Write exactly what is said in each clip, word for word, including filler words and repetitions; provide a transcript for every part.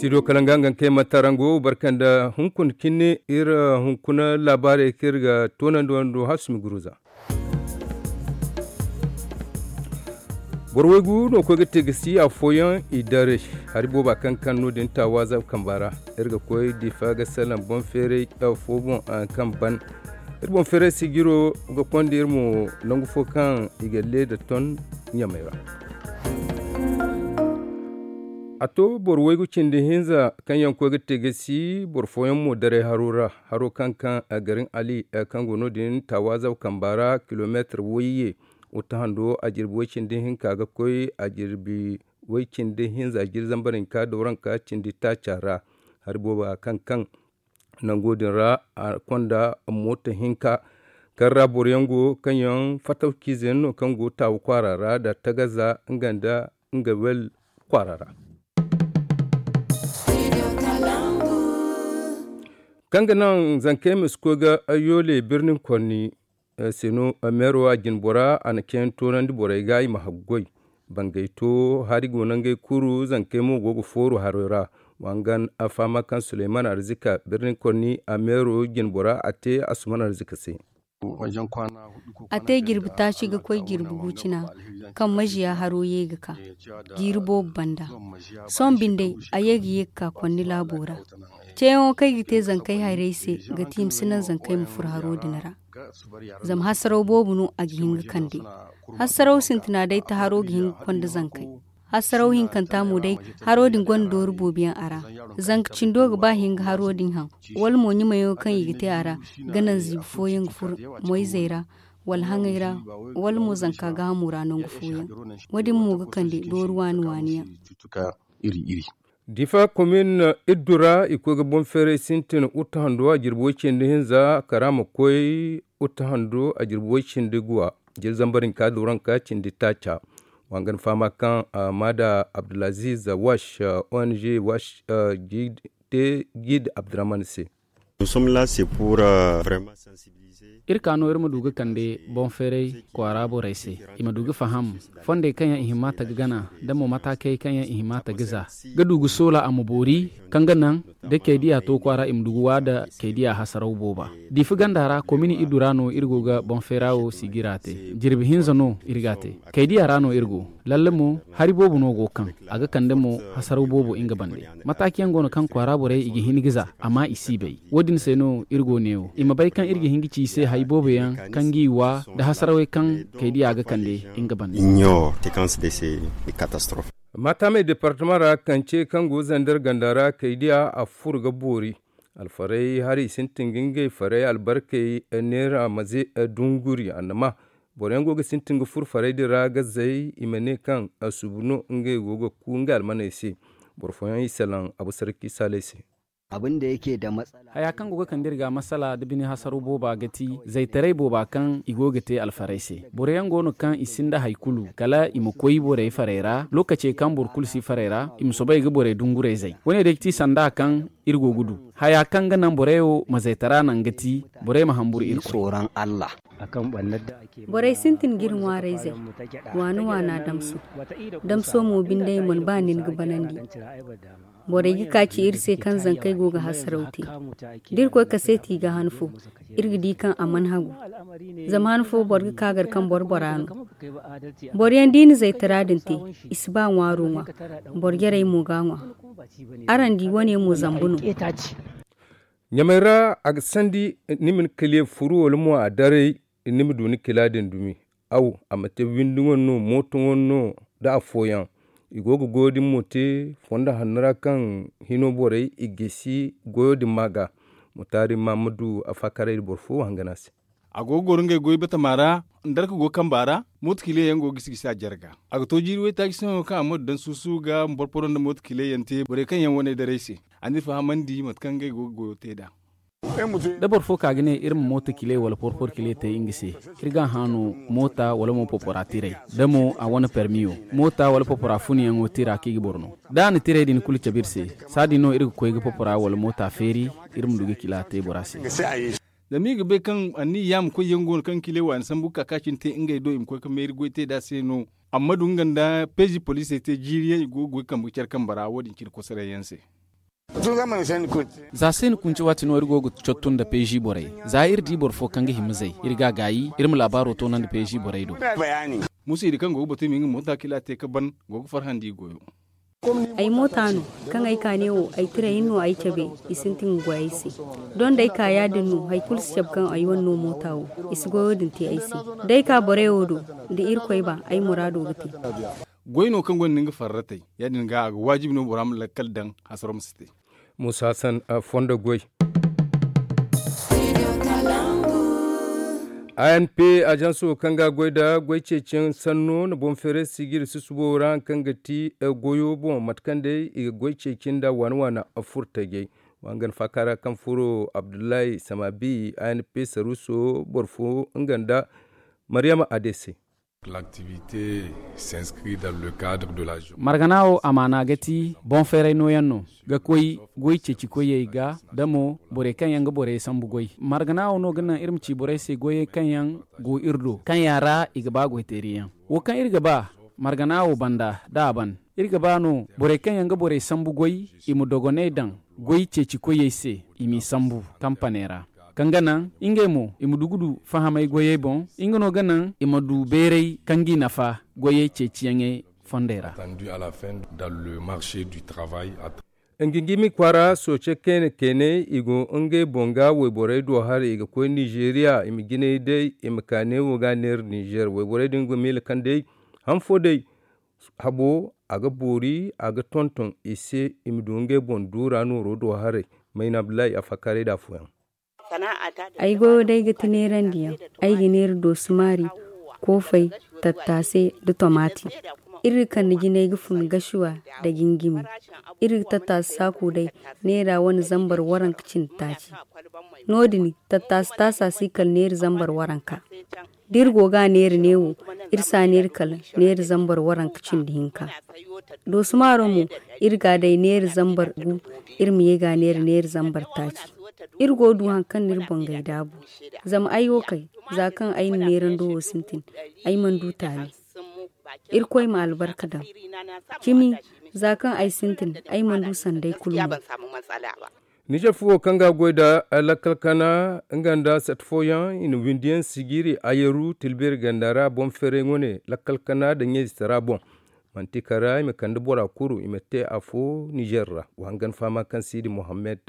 Ido kala nga nga kay matarango barkanda hunkuna kinne iri hunkuna laabaarey kaŋ iri ga toonandi wando hasumi guruza. Boro waygu no koy ga te ga si afooyaŋ i daray hari booba kaŋ kaŋ no din taawaza kamba ra. Iri ga koy difa ga salaŋ boŋ feeray fo boŋ kaŋ ban iri boŋ feeray sijiro ga konda iri mo nangu fo kaŋ i ga leeda ton ɲamay ra. A to boro waygu cindi hinza kaŋ yaŋ koy ga te ga si boro fooyaŋ mo daray haro ra. Haro kaŋ kaŋ garin ali kaŋ go no din taawaza kamba ra kilomeetar wayye. Wutta hando a jirbi way cindi hinka ga koy a jirbi way cindi hinza jiri zambar hinka dawranka cindi taaca ra. Hari booba kaŋ kaŋ nango din ra a konda moota hinka kaŋ ra boro yaŋ go kaŋ yaŋ fatawciize yaŋ no kaŋ go taawa kwaara ra da tagaza nga nda nga wel kwaara ra. Kaŋ ga naŋ zankey ma si koy ga yoole birnin konni se no meero a jine bora a na ceeyaŋ toonandi borey ga i ma haggoy. Bangay to hari go no ngey kuru zankey mo go ga fooru harey ra. Wangan a fahama kaŋ suleyman arzika birnin konni a meero jine bora a te asuman arzika se. A te jirbi taaci ga koy jirbi gu cina kaŋ majiya haro ye ga ka jiiri boobo banda. Sohõ binde a ye ga ye ga ka konni laabo ra. Ceeyaŋo kaŋ ay ga te zankey hayrey se ga ti i ma si naŋ zankey ma furo haro din ra. Zama hasaraw boobo no a ga hin ga kande. Hasaraw sintina day ta haro ga hin ga konda zankey. Hasaraw hinkanta mo day haro din gonda doori boobo yaŋ a ra. Zanka cindo ga ba hin ga haro din haŋ wala mo ɲumayaŋo kaŋ i ga te a ra ga naŋ ziibi fooyaŋ ga furo moyzey ra wala haŋay ra wala mo zanka gaahamo ra nangu fooyaŋ. Wo- din mo ga kande doori waani waani yaŋ. Difa komin iddu ra i koy ga boŋ feeray sintin uta hando a jirbi way cindi hinza kara ma koy uta hando a jirbi way cindi guwa. Jiri zambar hinka dawranka cindi taaca. Wa nga ni fahama kaŋ maada abdulaziz wash ong wash ga te gid abdurahman se. Iri ka no iri ma du ga kande boŋ feeray kwaara borey se i ma du ga faham fondey kaŋ yaŋ i hima ta ga gana da mo mataakey kaŋ yaŋ i hima ta ga za ga du ga soola a ma boori kaŋ ga naŋ da kaydiya to kwaara i ma du ga wa da kaydiya hasaraw booba. Diifi ganda ra komini iddu ra no iri go ga boŋ feera wo sigira te. Jirbi hinza no iri ga a te. Kaydiya ra no iri go. Lalle mo hari boobo no go kaŋ a ga kande mo hasaraw boobo nga bande. Mataakiyaŋ go no kaŋ kwaara borey i ga hin ga za amma i si bay. Wo- din se no iri go neewo i ma bay kaŋ iri ga hin ga ci i se hay boobo yaŋ kaŋ g'i wa nda hasarawey kaŋ kaydiya ga kande nga bande. Maataamey departama ra kance kaŋ go zander ganda ra kaydiya a furo ga boori. Alfarey hari sintin ga ngey farey albarkey neera maze dunguri annama. Boro yaŋ go ga sintin ga furo farey din ra ga zay i ma ne kaŋ a subu no ngey go ga ku ngey almaney se. Boro fooyaŋ i salaŋ abu sarki saaley se. Haya kaŋ go ga kande iri ga masala da bine hasaro booba ga ti zaytaray booba kaŋ i go ga te alfarey se. Boro yaŋ go no kaŋ i sinda hari kulu kala i ma koy borey farey ra lookacey kaŋ boro kulu si farey ra i ma soobay ga borey dunguray zay. Wo- ne day ga ti sanda kaŋ iri go ga du haya kaŋ ga naŋ borey wo ma zaytara naŋ ga ti borey ma hamburu iri. Borey sintin ga iri ŋwaarayzey waana waana damso. Damso mo binde ay mana ba nin ga banandi. Borey ga ka ci iri se kaŋ zankey go ga hasaraw te. Da iri koy kaseeti ga han fo iri ga di kaŋ a mana hagu. Zama han fo boro ga ka gar kaŋ boro bora no. Boro yaŋ da i na zaytara din te i si ba ŋwaaro ŋwa. Boro jarey mo ga a ŋwa. Araŋ di wo- ne mo zambu no. Ɲamey ra a ga sandi ni ma ni kale furu wala mo a daray ni ma du ni kila din dumi. Aw a ma te windi ŋo no mooto ŋo no da afooyaŋ. I go ga goyo din mo te fondo hanno ra kaŋ hino borey i gisi goyo din ma ga. Mutaari maamadu a faakaray da boro fo hangana se. A go ga goro ngey goy batama ra. Ndarka go kamba ra. Mooto kile yaŋ go gisi gisi a jarga. A ga to jiiri waytaaci se no kaŋ a ma du daŋ suusu ga ma porporo nda mooto kile yaŋ te borey kaŋ yaŋ wane daray se. A n'iri fahamandi mate kaŋ ngey go ga goyo te nd'a. Da boro fo ka ga ne iri ma mooto kile wala porporo kile te nga se, iri ga a haanu moota wala mo porpora tiray da mo a wane permiyo. Moota wala porpora funuyaŋo tira kaŋ i ga boro no. Da a na tiray din kulu cabe iri se, saadin no iri ga koy ga porpora wala moota feeri. Iri ma du ga kila te bora se. Zama i ga bay kaŋ anniya ma koy yaŋ go no kaŋ kile waani sambu ga ka ka cine te ngey do i ma koy ga meeri goy te nd'a se no. Amma du nga nda peezi poliisey te jiiri yaŋ i go ga goy kambe ga care kambe ra wo- din cine kosoray yaŋ se. Za se ni kunci waati no iri go ga cottu nda peezi borey. Za iri di boro fo kaŋ ga hima zay, iri ga a gaayi iri ma laabaaro toonandi peezi borey do. Musa iri kaŋ go ga batu i ma nga moota kila te ga ban, go ga farhandi i goyo. Ay moota no kaŋ ay ka ne wo, ay tira hinno ay cabe. I sintin ga goy ay se. Doŋ da ay ka ya- din no, hari kulu si cabe kaŋ ay wane no moota wo. I si goyo din te ay se. Da ay ka borey wo do, da irkoy ba, ay muraado ga te. Goy no kaŋ gonda nga farratey. Ya- din ga a ga waajibi no bora ma lakkal daŋ, hasaro ma si te. Musa hassan, fondo goy. A N P ajanso kaŋ ga a goy nda goy ceeciyaŋ sanno na boŋ feeray sijiri susubo ra hari kaŋ ga ti goyo boŋ mate kaŋ day i ga goy ceeci nda waana waana furtajey. Wa hangan faaka ra kaŋ furo abdullahi samabi A N P saruuso boro fo nga nda maryama adese. Margana wo amaana ga ti boŋ feeray nooyaŋ no ga koy goy ceeci koyey ga, da mo borey kaŋ yaŋ ga borey sambu goy. Margana wo no ga naŋ iri ma ci borey se goyey kaŋ yaŋ go iri do kaŋ yaŋ ra i ga ba goyteeriyaŋ. Wo kaŋ iri ga ba margana wo banda da a ban, iri ga ba no borey kaŋ yaŋ ga borey sambu goy, i ma dogonay daŋ goy ceeci koyey se, i m'i sambu kampaney ra, kaŋ ga naŋ ngey mo i ma du ga du fahamay goyey boŋ. Nga no ga naŋ i ma du beeray kaŋ g'i nafa goyey ceeciyaŋey fondey ra. Ngingimi kwaara sooce kayna kaynay i go ngey boŋ ga wayborey do haray i ga koy nizeeriya i ma jinay day i ma ka neewo ga a neera nizeer wayborey din ga miila kaŋ day han fo day habo a ga boori a ga tonton i se i ma du ngey boŋ duura nooro do haray. Mayna abdullahi a faakaaray da afooyaŋ. Ay goyo day ga ti neerandiyaŋ. Ay ga neera doosumaari, koofay, tattaase, nda tomaati. Iri ga kande jinay ga fun gasuwa nda gingimi. Iri ga tattaase saaku day neera wane zambar waranka cindi taaci. No- din tattaase taasa si kala neera zambar waranka. Da iri go ga a neera neewo, iri si a neera kala neera zambar waranka cindi hinka. Doosumaaro mo, iri ga a day neera zambar gu. Iri ma ye ga a neera neera zambar taaci. Iri go ga du hari kaŋ no iri boŋ ga ay daabu. Zama ay wo kay, za kaŋ ay na neerando wo sintin, ay mana du taali. Irkoy ma albarka daŋ. Cimi, za kaŋ ay sintin, ay mana du sanday kulu mo. Nizer fuwo kaŋ ga a goy nda lakkal kana nga nda sat fooyaŋ i na windiyaŋ sijiri ayeru tilbeeri ganda ra boŋ feeray wane lakkal kana nda ɲayze tara boŋ. Manti kara i ma kande bora kuru i ma te afo nizer ra. Wa hangan fahama kaŋ siidi mohammed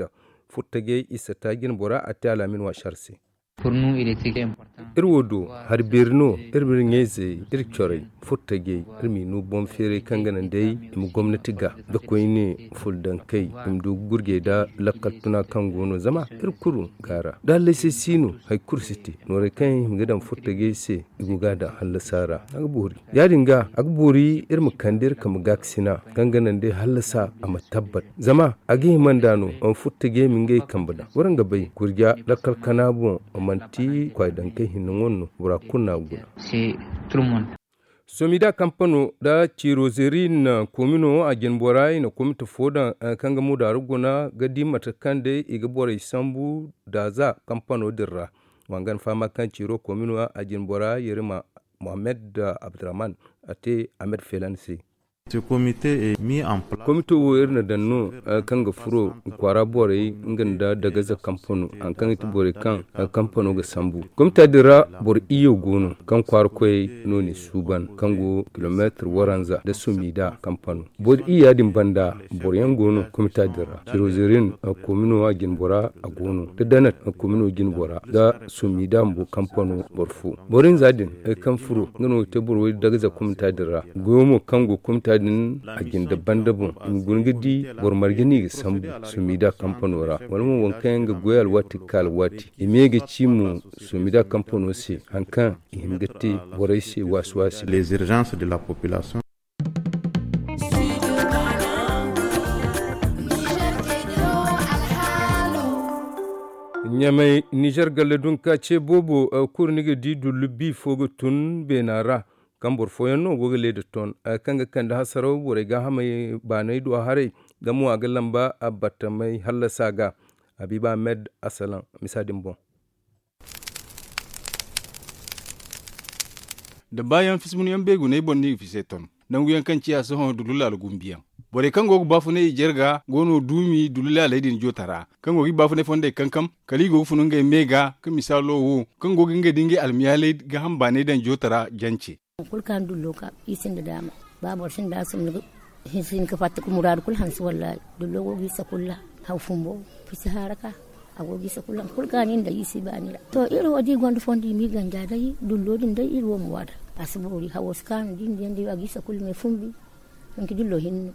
furtajey isa ta jine bora a te alaamin waasi har se. Iri wo do hari beeri no iri ma iri ɲayzey iri corey furtajey iri m'i no boŋ feeray kaŋ ga naŋ day i ma gomnati ga da koyne fuldankey i ma du ga gurjey nda lakkal tuna kaŋ go no zama iri kulu ga a ra da hallasi si no hari kulu si te noorey kaŋ i hima ga daŋ furtajey se. I go ga a daŋ hallasa ra a ga boori ya- din ga a ga boori iri ma kande iri kambe gaakasina kaŋ ga naŋ day hallasa a ma tabbat zama a ga hima nd'a no. Furtajey ma ngey kambe daŋ waraŋ ga bay gurja lakkal kana boŋ manti kwaayidankey hinne ŋwa no bora kulu no a ga guna. Somida kampano nda cirozerin komino a jinbora i na komite fo daŋ kaŋ ga mudaari guna ga di mate kaŋ day i ga borey sambu daaza kampano din ra. Wangan fahama kaŋ ciro komino a jinbora yerima mohammed abdurrahman a te ahmed felan se. Komito wo iri na daŋ no kaŋ ga furo kwaara borey nga nda dagaza kampano hari kaŋ ga ti borey kaŋ kampano ga sambu komita din ra. Boro iyye go no kaŋ kwaara koyey no n'i suuban kaŋ go kilomeetir waranza nda sumida kampano. Boro iyya din banda boro yaŋ go no komita din ra cirozerin komino a jinbora a go no da danat komino jinbora nda sumida bumbo kampano boro fo. Boro hinza din kaŋ furo nga no ga te boro way dagaza komita din ra. Goyo mo kaŋ go komita din a jinde banda boŋ i ma guna ga di boro marje no i ga sambu sumida kampano ra wala mo waŋ kaŋ yaŋ ga goy alwaati ga ka alwaati i ma ye ga ci mo. Sumida kampano se hari kaŋ i hin ga te borey se waasi waasi. Ɲamay nizer galle dunka ce boobo kulu ni ga di dullu bi fo ga tun beena ra. Kaŋ boro fooyaŋ no go ga leeda ton kaŋ ga kande hasaraw borey gaahamey baanay do haray. Nga mo a ga lamba battamey hallasa ga. Habiiba ahmed asalaŋ misa din boŋ. Da baayaŋ fismunyaŋ beeguney boŋ no i ga fise ton nanguyaŋ kaŋ ciya sohõ dullu laala gumbiyaŋ. Borey kaŋ go ga baafunay i jarga go no duumi dullu laaley din jootara kaŋ go ga i baafunay fondey kankam. Kala i go ga fun ngey me ga ka misaalo wo kaŋ go ga ngey da ngey almiyaaley ga hambaanay daŋ jootara jance. Kulu kaŋ dullo ka i sinda daama ba boro sinda a sinda ga hinsin ka fatta ka muraadu kulu hanse wallaahi. Dullo go ga isa kulu ra haw fumbo fisi haara ka a go ga isa kulu haŋ kulu kaŋ a nin da i si baani ra. To iri wo da i gonda fondo i ma i ganja day dullo din day iri wo ma waada. A si boori hawo si kaanu da i na diyaŋ day a ga isa kulu me fumbi. Manti dullo hinne no.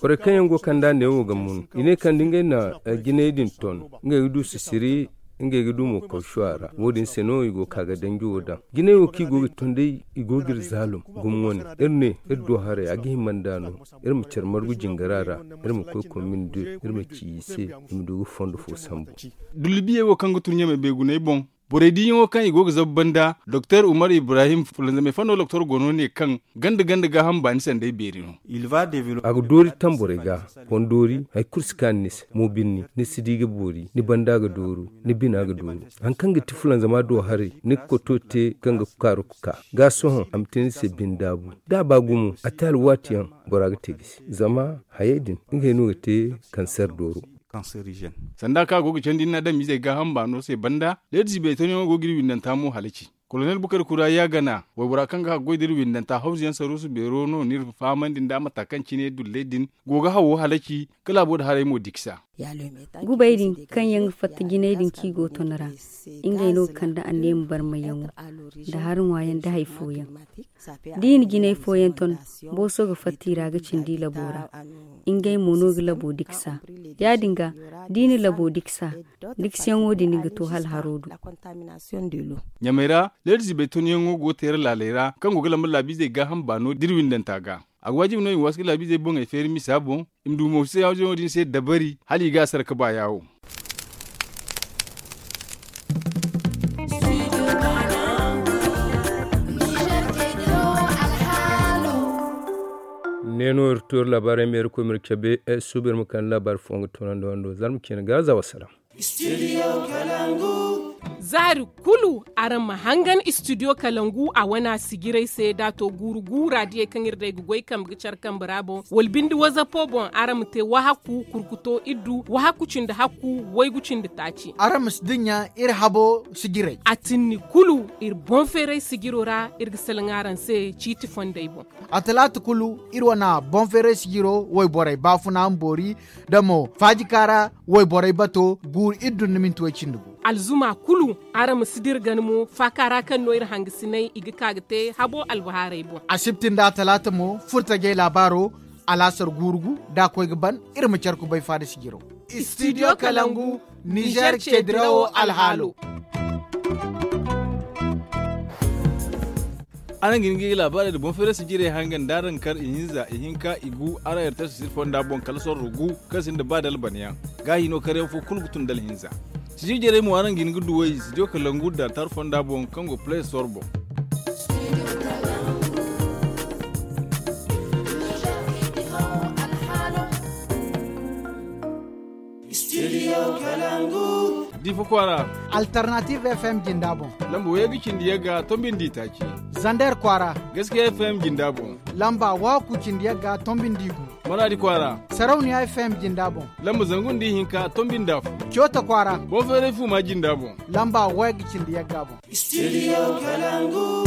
Borey kaŋ yaŋ go kand'a neewo ga mun i ne kaŋ da ngey na jinay din ton ngey ga du sisiri ngey ga du mo kawshu a ra. Wo- din se no i go ga ka ga danji wo daŋ jinay wo kaŋ i go ga ton day i go ga iri zaalum. Gumo wane iri ne iri du haray a ga hima nd'a no. Iri ma care margu jingara ra iri ma koy komin du iri ma ci i se i ma du ga fondo fo sambu. Dullu biyey wo kaŋ ga tun ɲamay beeguney boŋ borey diiyaŋo kaŋ i go ga zabu banda doktor umar ibrahim fulanzamey fando doktor go no ne kaŋ ganda ganda gaaham baani sanday beeri no. A ga doori tamborey ga. Fondoori hari kulu si kaanu ni se mo birni ni si di ga boori ni banda ga dooru ni bina ga dooru. Hari kaŋ ga ti fulanzama do haray ni ga koto te kaŋ ga kaaru ga ka ga sohõ a ma te ni se bine daabu. Da a ba gumo a te alwaati yaŋ bora ga te ga si zama hayey din ngey no ga te kanser dooro. Sanda kaŋ a go ga candi ni na adamizey gaaham baano se banda leedisi beetonyaŋo go ga iri windanta mo halaci. Kolonel bukar kura yaagana waybora kaŋ ga haggoy da iri windanta hawzuyaŋ saruusu beero no ni iri fahamandi nda mata kaŋ cine dulley din go ga hawo halaci ka laabo da haray mo diksa. Gubay din kaŋ yaŋ ga fatta jinay din kaŋ i go ton ra ngey no ga kande anneema barmayyaŋo nda hari ŋwaayaŋ nda hari fooyaŋ. Da i na jinay fooyaŋ ton booso ga fatta i ra ga cindi labo ra. Ngey mo no ga labo diksa. Ya- din ga da i na labo diksa diksayaŋo din ga to hala haro do. Ɲamey ra leedizibey tonyaŋo go ga teera laaley ra kaŋ go ga lamba laabiizey gaaham baano da iri windanta ga. A ga waajibi no i ma waasu ga laabiizey boŋey feeri misa boŋ i ma du mo se yaawo din se dabari hala i ga a sara ga ba yaawo. Ne no iri to iri laabaarey ma iri koy ma iri cabe suuba iri ma kande laabaari fooyaŋ ga toonandi wando zarma ciine ga za wasalaam. Zaari kulu araŋ ma hangan istidiyo kalangu a wana sijiray se da a to guuru guura diyey kaŋ iri day ga goy kambe ga care kambe ra boŋ wala binde wazapo boŋ araŋ ma te wahakku kurkuto iddu wahakku cindi hakku waygu cindi taaci. Araŋ ma si dinya iri habo sijiray a tinni kulu iri boŋ feeray sijiro ra iri ga salaŋ araŋ se ciiti fondey boŋ. A talaata kulu iri wane boŋ feeray sijiro wayborey baafuna ma boori da mo faajika ra wayborey bato guuru iri dunna minti way cindi gu. Alzuma kulu araŋ ma si dira gana mo faaka ra kaŋ no iri hangasinay i ga ka ga te habo albahaarey boŋ. Asibti nda talaata mo furtajey laabaaro alaasar guuru gu da a koy ga ban iri ma care kubay faada sijiro. Istidiyo kalangu nizer ceedirawo alhaalo. Araŋ ga hin ga i laabaarey nda boŋ feerey sijirey hangan da araŋ kar ihinza ihinka igu araŋ yartasi siri fonda boŋ kala sorro gu kaŋ sinda ba dalbanyaŋ. Gaahi no karyaŋ fo kulu ga tun dalhinza. Sijir jarey mo araŋ ga hin ga duw'ey studio kalangu da tar fonda boŋ kaŋ go play store boŋ. Studio kalangu. Difa kwaara. Alternative fm jinda boŋ. Lamba wayey ga cindi yagga tombi nda itaaci. Zander kwaara. Gaskiya fm jinda boŋ. Lamba waku cindi yagga tombi nda igu. Maradi kwaara. Sarauniya fm jinda boŋ. Lamba zangu nda ihinka tombi nda afo. Coota kwaara. Boŋ feeray fuuma jinda boŋ. Lamba wayey ga cindi yagga boŋ. Studio kalangu.